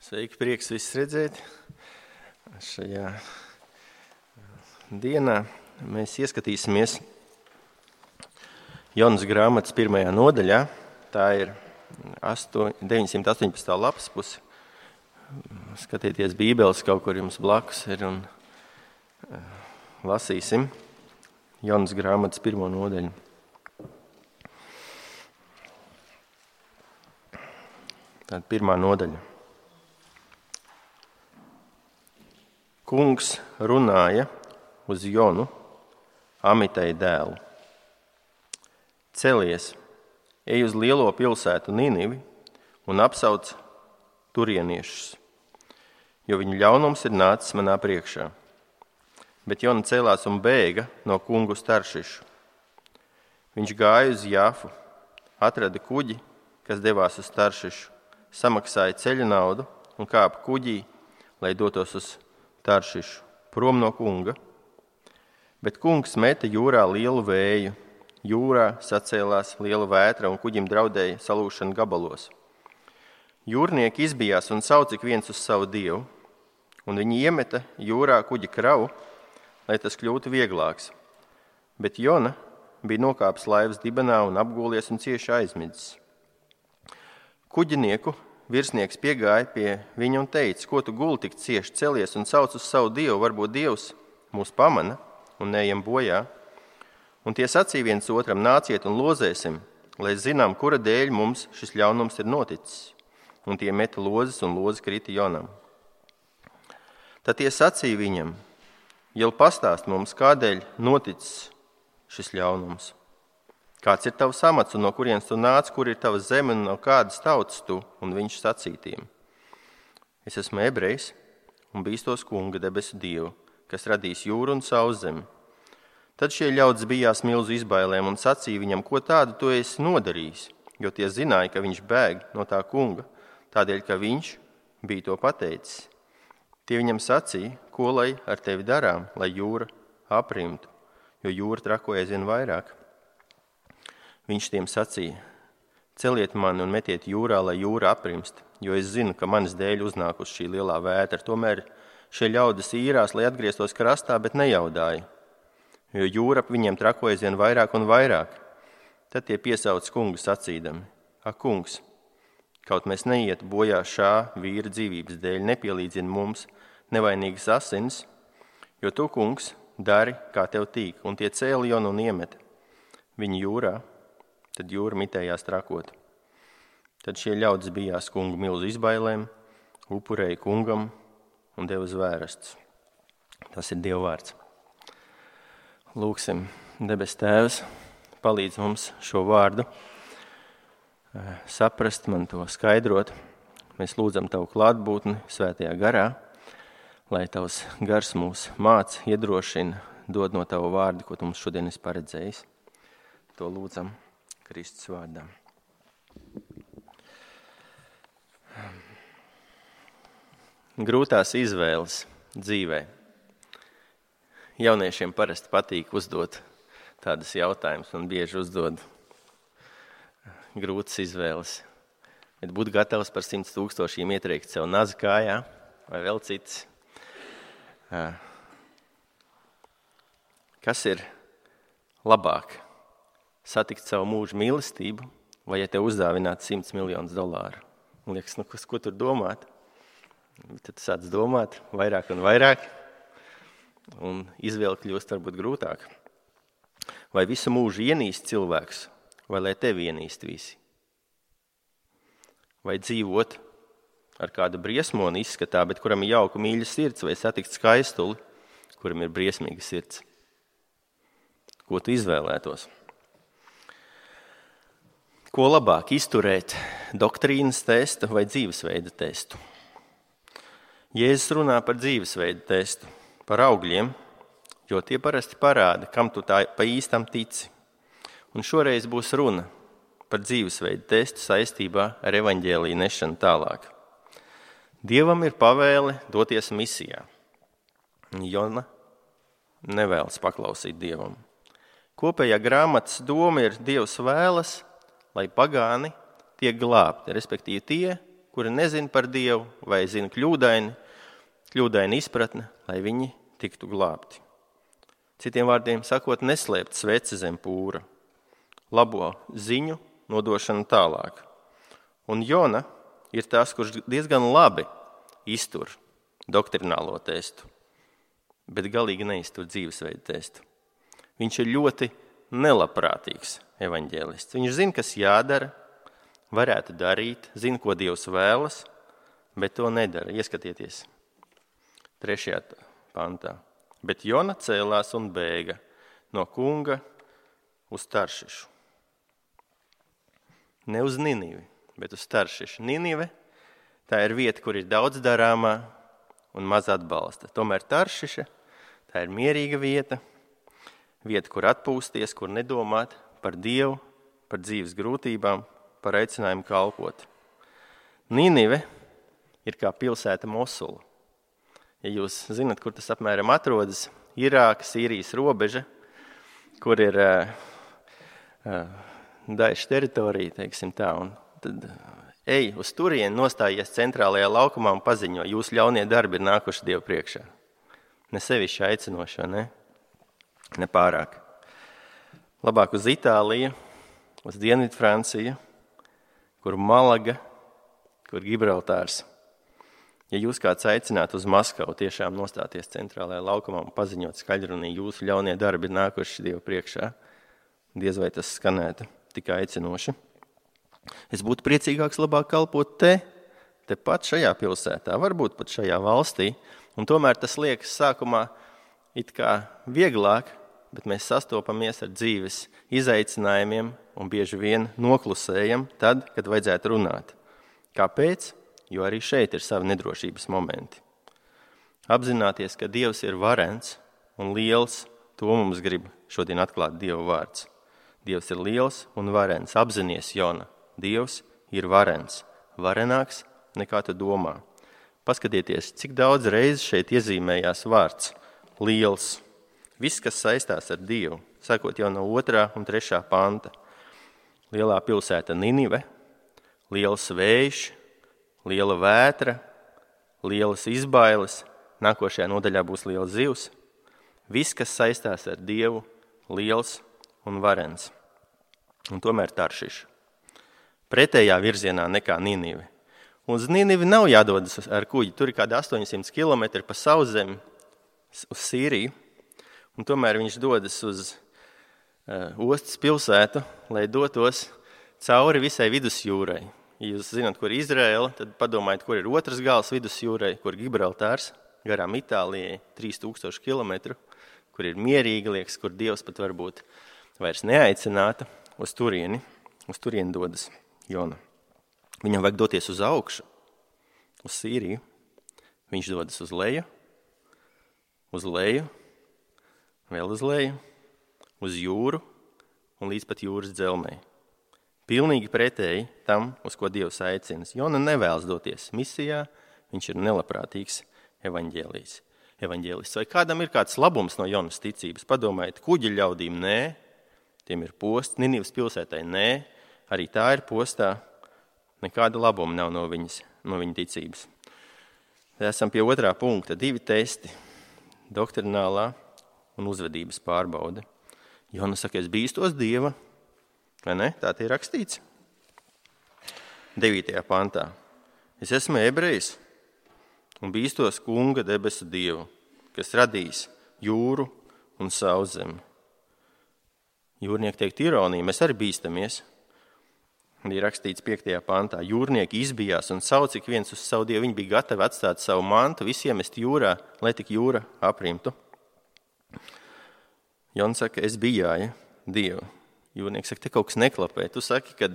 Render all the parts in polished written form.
Sveiki, prieks visus redzēt. Šajā dienā mēs ieskatīsimies Jonas grāmatas 1. nodaļā. Tā ir 918. lapas puse. Skatieties bībeles, kaut kur jums blakus ir un lasīsim Jonas grāmatas 1. nodaļu. Tāda 1. nodaļa. Kungs runāja uz Jonu, Amitai dēlu. Celies, ej uz lielo pilsētu Ninivi un apsauc turieniešus, jo viņu ļaunums ir nācis manā priekšā. Bet Jona cēlās un bēga no kungu uz Taršišu. Viņš gāja uz Jāfu, atrada kuģi, kas devās uz Taršišu, samaksāja ceļa naudu un kāpa kuģī, lai dotos uz Taršišu, prom no kunga. Bet kungs meta jūrā lielu vēju. Jūrā sacēlās liela vētra un kuģim draudēja salūšana gabalos. Jūrnieki izbijās un sauca ik viens uz savu dievu, un viņi iemeta jūrā kuģa kravu, lai tas kļūtu vieglāks. Bet Jona bija nokāpis laivas dibenā un apgūlies un cieši aizmidzis. Kuģinieku virsnieks piegāja pie viņa un teica: ko tu guli tik cieši, celies un sauc uz savu dievu, varbūt dievs mūs pamana un neejam bojā. Un tie sacīja viens otram: nāciet un lozēsim, lai zinām, kura dēļ mums šis ļaunums ir noticis. Un tie meta lozes un lozi krita Jonam. Tad tie sacīja viņam: jau pastāst mums, kādēļ noticis šis ļaunums. Kāds ir tavs amats un no kurienes tu nāc, kur ir tava zeme un no kādas tautas tu? Un viņš sacītiem: es esmu ebrejs un bīstos kunga debesu dievu, kas radīs jūru un sauszemi. Tad šie ļaudis bijās milzu izbailēm un sacīja viņam: ko tādu tu esi nodarījis? Jo tie zināja, ka viņš bēg no tā kunga, tādēļ, ka viņš bija to pateicis. Tie viņam sacīja: ko lai ar tevi darām, lai jūra aprimtu, jo jūra trakoja aizvien vairāk. Viņš tiem sacīja: celiet mani un metiet jūrā, lai jūra aprimst, jo es zinu, ka manas dēļ uznāk uz šī lielā vētra. Tomēr šie ļaudis īrās, lai atgrieztos krastā, bet nejaudāja, jo jūra ap viņiem trakoja aizvien vairāk un vairāk. Tad tie piesauca kungu sacīdami: ak, kungs, kaut mēs neietu bojā šā vīra dzīvības dēļ, nepielīdzini mums nevainīgas asins, jo tu, kungs, dari, kā tev tīk. Un tie cēla Jonu un iemeta viņu jūrā. Tad jūra mitējās trakot. Tad šie ļaudis bijās kungu milzu izbailēm, upurēja kungam un deva zvērastus. Tas ir Dieva vārds. Lūksim, debes Tēvs, palīdz mums šo vārdu saprast, man to skaidrot. Mēs lūdzam Tavu klātbūtni svētajā garā, lai Tavs gars mūs māc, iedrošina, dod no Tava vārda, ko Tu mums šodien esi paredzējis. To lūdzam Kristus vārdā. Grūtās izvēles dzīvē. Jauniešiem parasti patīk uzdot tādas jautājumus un bieži uzdod grūtas izvēles. Bet būt gatavs par 100 000 ietriekt sev nazi kājā vai vēl cits. Kas ir labāk? Satikt savu mūžu mīlestību, vai ja tev uzdāvināt $100 miljonus? Un liekas, ko tur domāt? Tad tu sāc domāt vairāk un vairāk, un izvēle kļūst varbūt grūtāk. Vai visu mūžu ienīst cilvēks, vai lai tevi ienīst visi? Vai dzīvot ar kādu briesmoni izskatā, bet kuram ir jauka mīļa sirds, vai satikt skaistuli, kuram ir briesmīga sirds? Ko tu izvēlētos? Ko labāk izturēt, doktrīnas testu vai dzīvesveida testu? Jēzus runā par dzīvesveida testu, par augļiem, jo tie parasti parāda, kam tu tā pa īstam tici. Un šoreiz būs runa par dzīvesveida testu saistībā ar evaņģēliju nešanu tālāk. Dievam ir pavēle doties misijā. Jona nevēlas paklausīt Dievam. Kopējā grāmatas doma ir: Dievs vēlas, lai pagāni tiek glābti, respektīvi tie, kuri nezina par Dievu vai zina kļūdaini izpratne, lai viņi tiktu glābti. Citiem vārdiem sakot, neslēpt sveci zem pūra, labo ziņu nodošanu tālāk. Un Jona ir tas, kurš diezgan labi iztur doktrinālo testu, bet galīgi neiztur dzīvesveidu testu. Viņš ir ļoti nelabprātīgs evaņģēlists. Viņš zina, kas jādara, varētu darīt, zina, ko Dievs vēlas, bet to nedara. Ieskatieties 3. pantā. Bet Jona cēlās un bēga no kunga uz Taršišu. Ne uz Ninivi, bet uz Taršišu. Ninive, tā ir vieta, kur ir daudz darāmā un maz atbalsta. Tomēr Taršiša, tā ir mierīga vieta, kur atpūsties, kur nedomāt par Dievu, par dzīves grūtībām, par aicinājumu kalpot. Ninive ir kā pilsēta Mosula. Ja jūs zinat, kur tas apmēram atrodas, Irāka, Sīrijas robeža, kur ir Daeša teritorija, teiksim tā, un tad ej uz turieni, nostājies centrālajā laukumā un paziņo, jūsu ļaunie darbi ir nākuši Dievu priekšā. Ne sevišķi aicinošo, ne pārāk. Labāk uz Itāliju, uz Dienvidu Franciju, kur Malaga, kur Gibraltārs. Ja jūs kāds aicinātu uz Maskavu tiešām nostāties centrālajā laukumā un paziņot skaļrunī, jūsu ļaunie darbi ir nākuši Dievu priekšā, diez vai tas skanētu tik aicinoši. Es būtu priecīgāks labāk kalpot te pat šajā pilsētā, varbūt pat šajā valstī, un tomēr tas liekas sākumā it kā vieglāk, bet mēs sastopamies ar dzīves izaicinājumiem un bieži vien noklusējam tad, kad vajadzētu runāt. Kāpēc? Jo arī šeit ir savi nedrošības momenti. Apzināties, ka Dievs ir varens un liels, to mums grib šodien atklāt Dieva vārds. Dievs ir liels un varens. Apzinies, Jona, Dievs ir varens, varenāks nekā tu domā. Paskatieties, cik daudz reizes šeit iezīmējās vārds liels. Viss, kas saistās ar Dievu, sakot jau no 2. un 3. panta. Lielā pilsēta Ninive, liels vējš, liela vētra, lielas izbailes, nākošajā nodaļā būs liels zivs. Viss, kas saistās ar Dievu, liels un varens. Un tomēr Taršiša. Pretējā virzienā nekā Ninive. Uz Ninivi nav jādodas ar kuģi, tur ir kādi 800 km pa sauszemi uz Sīriju, un tomēr viņš dodas uz ostas pilsētu, lai dotos cauri visai vidusjūrai. Ja jūs zināt, kur ir Izraela, tad padomājiet, kur ir otrs gals vidusjūrai, kur Gibraltārs, garām Itālijai, 3000 km, kur ir mierīgi, liekas, kur Dievs pat varbūt vairs neaicināta, uz turieni dodas Jona. Viņam vajag doties uz augšu, uz Sīriju. Viņš dodas uz leju, vēl uz leju, uz jūru un līdz pat jūras dzelmei. Pilnīgi pretēji tam, uz ko Dievs aicina. Jona nevēlas doties misijā, viņš ir nelabprātīgs evaņģēlists. Vai kādam ir kāds labums no Jonas ticības? Padomājiet, kuģi ļaudīm nē, tiem ir posts, Ninivas pilsētai nē, arī tā ir postā, nekāda labuma nav no viņa ticības. Esam pie 2. punkta, 2 testi, doktrinālā un uzvedības pārbaude. Jona saka, es bīstos Dieva, vai ne? Tā tie ir rakstīts. 9. pantā. Es esmu ebrejs un bīstos kunga debesu Dievu, kas radījis jūru un sauszemi. Jūrnieki teikt ironiju, mēs arī bīstamies. Ir rakstīts 5. pantā. Jūrnieki izbijās un sauc ik viens uz savu Dievu. Viņi bija gatavi atstāt savu mantu, visiem mest jūrā, lai tik jūra aprimtu. Jona saka, es bijāju Dievu. Jūrnieks saka, te kaut kas neklapē. Tu saki, ka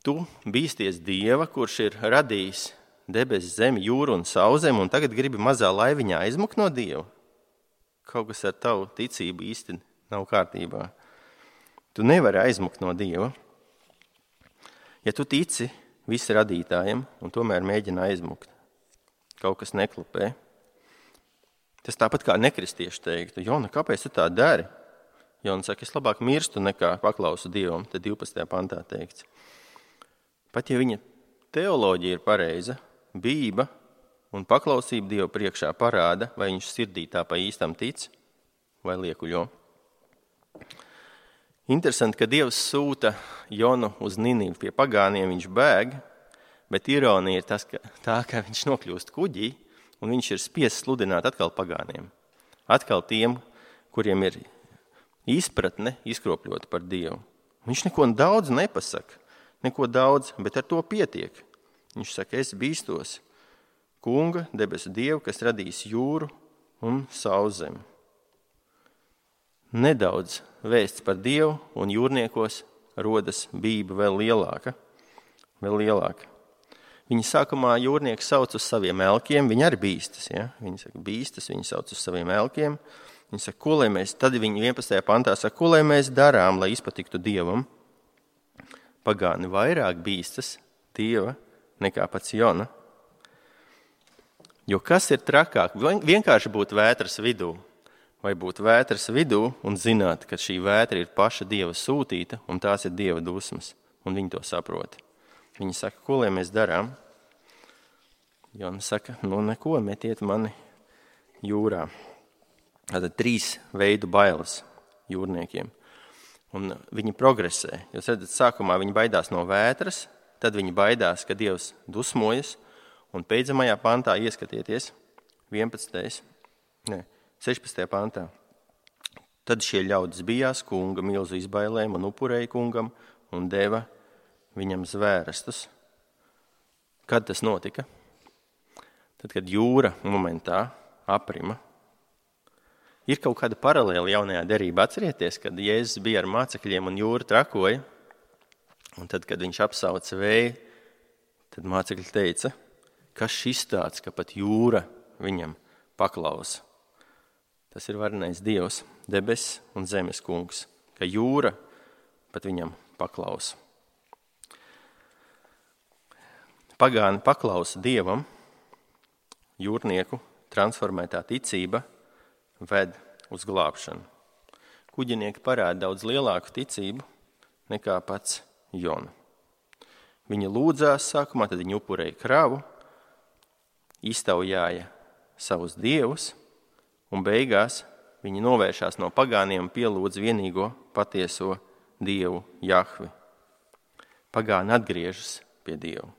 tu bīsties Dieva, kurš ir radījis debesis, zemi, jūru un sauszemi, un tagad gribi mazā laiviņā aizmukt no Dieva. Kaut kas ar tavu ticību īsti nav kārtībā. Tu nevari aizmukt no Dieva. Ja tu tici visi radītājiem un tomēr mēģina aizmukt, kaut kas neklapē. Tas tāpat kā nekristieši teiktu, Jona, kāpēc tu tā dari? Jona saka, es labāk mirstu nekā paklausu Dievam, tad 12. pantā teikts. Pat ja viņa teoloģija ir pareiza, bība un paklausība Dievu priekšā parāda, vai viņš sirdī tā pa īstam tic vai liekuļo. Interesanti, ka Dievs sūta Jonu uz Ninivu pie pagāniem, viņš bēg, bet ironija ir tā, ka viņš nokļūst kuģī un viņš ir spiests sludināt atkal pagāniem. Atkal tiem, kuriem ir izpratne izkropļota par Dievu. Viņš neko daudz nepasaka, bet ar to pietiek. Viņš saka, es bīstos Kunga, debesu Dievu, kas radīs jūru un sauszemi. Nedaudz vēsts par Dievu un jūrniekos rodas bība vēl lielāka. Viņi sākumā jūrnieki sauc uz saviem elkiem, viņi arī bīstas. Ja? Viņi saka bīstas, viņi sauc uz saviem elkiem. Viņi saka, ko lai mēs, tad viņi 11. pantā saka, ko lai mēs darām, lai izpatiktu Dievam. Pagāni vairāk bīstas Dieva nekā pats Jona. Jo kas ir trakāk? Vienkārši būt vētras vidū. Vai būt vētras vidū un zināt, ka šī vētra ir paša Dieva sūtīta un tās ir Dieva dusmas. Un viņi to saprot. Viņi saka, ko lai mēs darām? Jona saka, neko, metiet mani jūrā. Tātad 3 veidu bailes jūrniekiem. Un viņi progresē. Jūs redzat, sākumā viņi baidās no vētras, tad viņi baidās, ka Dievs dusmojas, un beidzamajā pantā ieskatieties 16. pantā. Tad šie ļaudis bijās kunga milzu izbailēm un upurēja kungam un deva viņam zvērestus. Kad tas notika? Tad, kad jūra momentā aprima. Ir kaut kāda paralēla jaunajā derībā. Atcerieties, kad Jēzus bija ar mācekļiem un jūra trakoja, un tad, kad viņš apsauca vēju, tad mācekļi teica, kas šis tāds, ka pat jūra viņam paklausa. Tas ir varenais Dievs, debes un zemes kungs, ka jūra pat viņam paklausa. Pagāni paklausa Dievam, jūrnieku transformētā ticība ved uz glābšanu. Kuģinieki parāda daudz lielāku ticību nekā pats Jona. Viņi lūdzās sākumā, tad viņi upurēja kravu, iztaujāja savus dievus, un beigās viņi novēršās no pagāniem un pielūdz vienīgo patieso Dievu Jahvi. Pagāni atgriežas pie Dievu.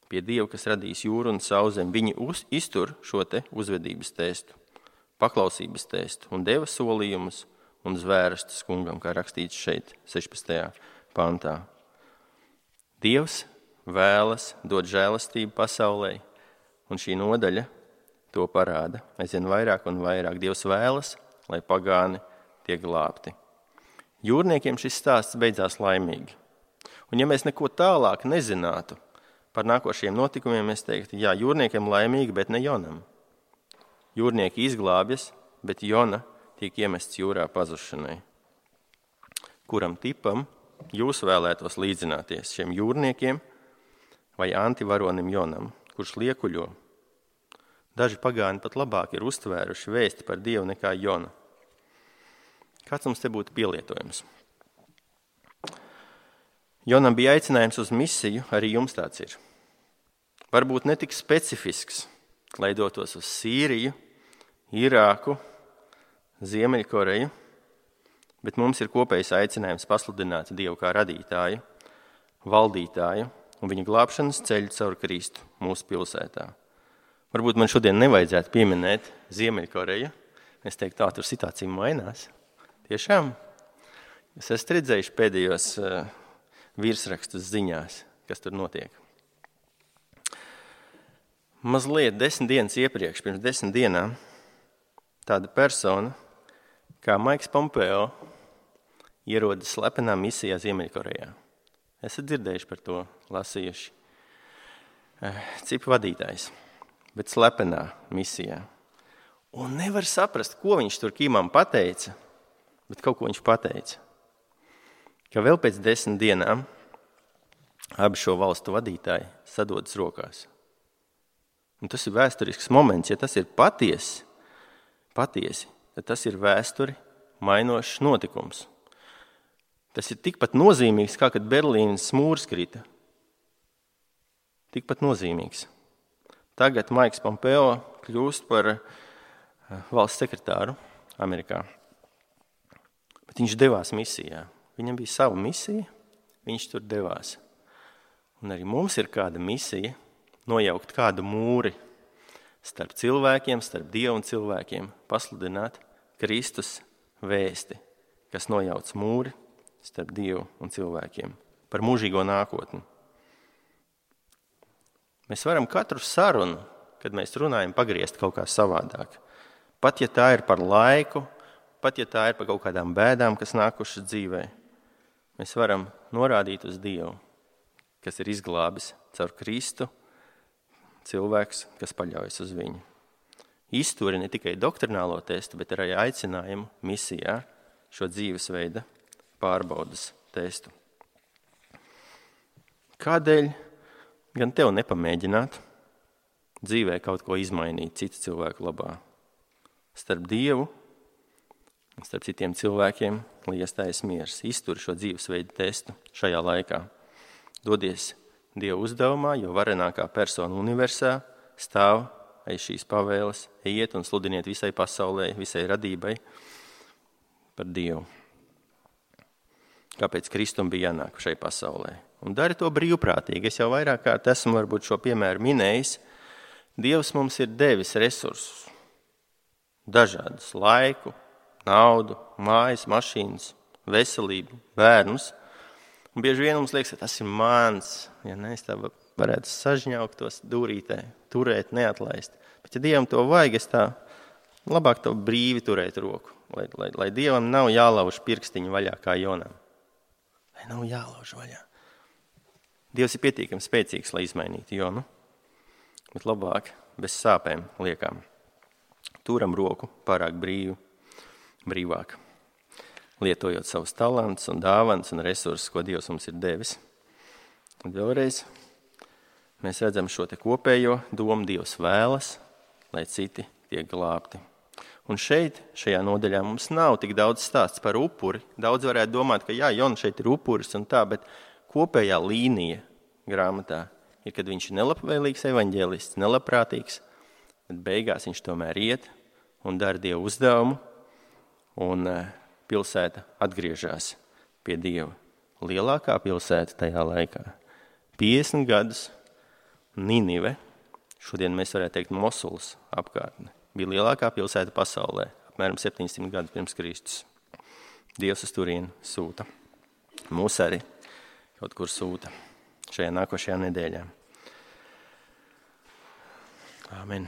Pie Dieva, kas radīs jūru un sauszemi. Viņi iztur šo te uzvedības testu, paklausības testu un deva solījumus un zvērestus kungam, kā rakstīts šeit 16. pantā. Dievs vēlas dot žēlastību pasaulē, un šī nodaļa to parāda. Aizvien vairāk un vairāk. Dievs vēlas, lai pagāni tiek glābti. Jūrniekiem šis stāsts beidzās laimīgi. Un ja mēs neko tālāk nezinātu par nākošajiem notikumiem, es teiktu, jā, jūrniekiem laimīgi, bet ne Jonam. Jūrnieki izglābjas, bet Jona tiek iemests jūrā pazušanai. Kuram tipam jūs vēlētos līdzināties, šiem jūrniekiem vai antivaronim Jonam, kurš liekuļo? Daži pagāni pat labāk ir uztvēruši vēsti par Dievu nekā Jona. Kāds mums te būtu pielietojums? Jonam bija aicinājums uz misiju, arī jums tāds ir. Varbūt ne tik specifisks, lai dotos uz Sīriju, Irāku, Ziemeļkoreju, bet mums ir kopējs aicinājums pasludināt Dievu kā radītāju, valdītāju un viņa glābšanas ceļu caur Kristu mūsu pilsētā. Varbūt man šodien nevajadzētu pieminēt Ziemeļkoreju. Es teiktu, tā tur situācija mainās. Tiešām? Jūs esat redzējuši pēdējos virsrakstus ziņās, kas tur notiek. Mazliet 10 dienas iepriekš, pirms 10 dienām, tāda persona, kā Maiks Pompeo, ierodas slepenā misijā Ziemeļkorejā. Esat dzirdējuši par to, lasījuši. Cipu vadītājs, bet slepenā misijā. Un nevar saprast, ko viņš tur Kimam pateica, bet kaut ko viņš pateica. Ka vēl pēc 10 dienām abi šo valstu vadītāji sadodas rokās. Un tas ir vēsturisks moments. Ja tas ir patiesi, tad tas ir vēsturi mainošs notikums. Tas ir tikpat nozīmīgs, kā kad Berlīnas mūris krita. tikpat nozīmīgs. Tagad Maiks Pompeo kļūst par valsts sekretāru Amerikā. Bet viņš devās misijā. Viņam bija sava misija, viņš tur devās. Un arī mums ir kāda misija nojaukt kādu mūri starp cilvēkiem, starp Dievu un cilvēkiem, pasludināt Kristus vēsti, kas nojauc mūri starp Dievu un cilvēkiem, par mūžīgo nākotni. Mēs varam katru sarunu, kad mēs runājam, pagriezt kaut kā savādāk. Pat ja tā ir par laiku, pat ja tā ir par kaut kādām bēdām, kas nākušas dzīvē, mēs varam norādīt uz Dievu, kas ir izglābis caur Kristu cilvēks, kas paļaujas uz viņu. Izturi ne tikai doktrinālo testu, bet arī aicinājumu misijā šo dzīvesveida pārbaudas testu. Kādēļ gan tev nepamēģināt dzīvē kaut ko izmainīt citu cilvēku labā? Starp Dievu un starp citiem cilvēkiem, lai iestājas miers. Izturi šo dzīvesveidu testu šajā laikā. Dodies Dieva uzdevumā, jo varenākā persona universā stāv aiz šīs pavēles, ejiet un sludiniet visai pasaulē, visai radībai par Dievu. Kāpēc Kristum bija jānāk šai pasaulē? Un dari to brīvprātīgi. Es jau vairāk kārt esmu varbūt šo piemēru minējis. Dievs mums ir devis resursus. Dažādus laiku, naudu, mājas, mašīnas, veselību, bērnus. Un bieži vien mums liekas, ka tas ir mans. Ja ne, es tā varētu sažņaukt tos dūrītē, turēt, neatlaist. Bet ja Dievam to vajag, es tā labāk to brīvi turēt roku. Lai Dievam nav jālauž pirkstiņu vaļā kā Jonam. Lai nav jālauž vaļā. Dievs ir pietiekami spēcīgs, lai izmainītu Jonu. Bet labāk bez sāpēm liekām. Turam roku pārāk brīvāk, lietojot savus talantus un dāvanas un resursus, ko Dievs mums ir devis. Un vēlreiz mēs redzam šo te kopējo domu, Dievs vēlas, lai citi tiek glābti. Un šajā nodaļā mums nav tik daudz stāsts par upuri. Daudz varētu domāt, ka jā, Jona šeit ir upuris un tā, bet kopējā līnija grāmatā ir, kad viņš ir nelabvēlīgs evaņģēlists, nelabprātīgs, bet beigās viņš tomēr iet un dara Dievu uzdevumu, un pilsēta atgriežas pie Dieva. Lielākā pilsēta tajā laikā. 50 gadus Ninive, šodien mēs varētu teikt Mosulas apkārtne, bija lielākā pilsēta pasaulē, apmēram 700 gadus pirms Kristus. Dievs uz turieni sūta. Mūs arī kaut kur sūta šajā nākošajā nedēļā. Āmen.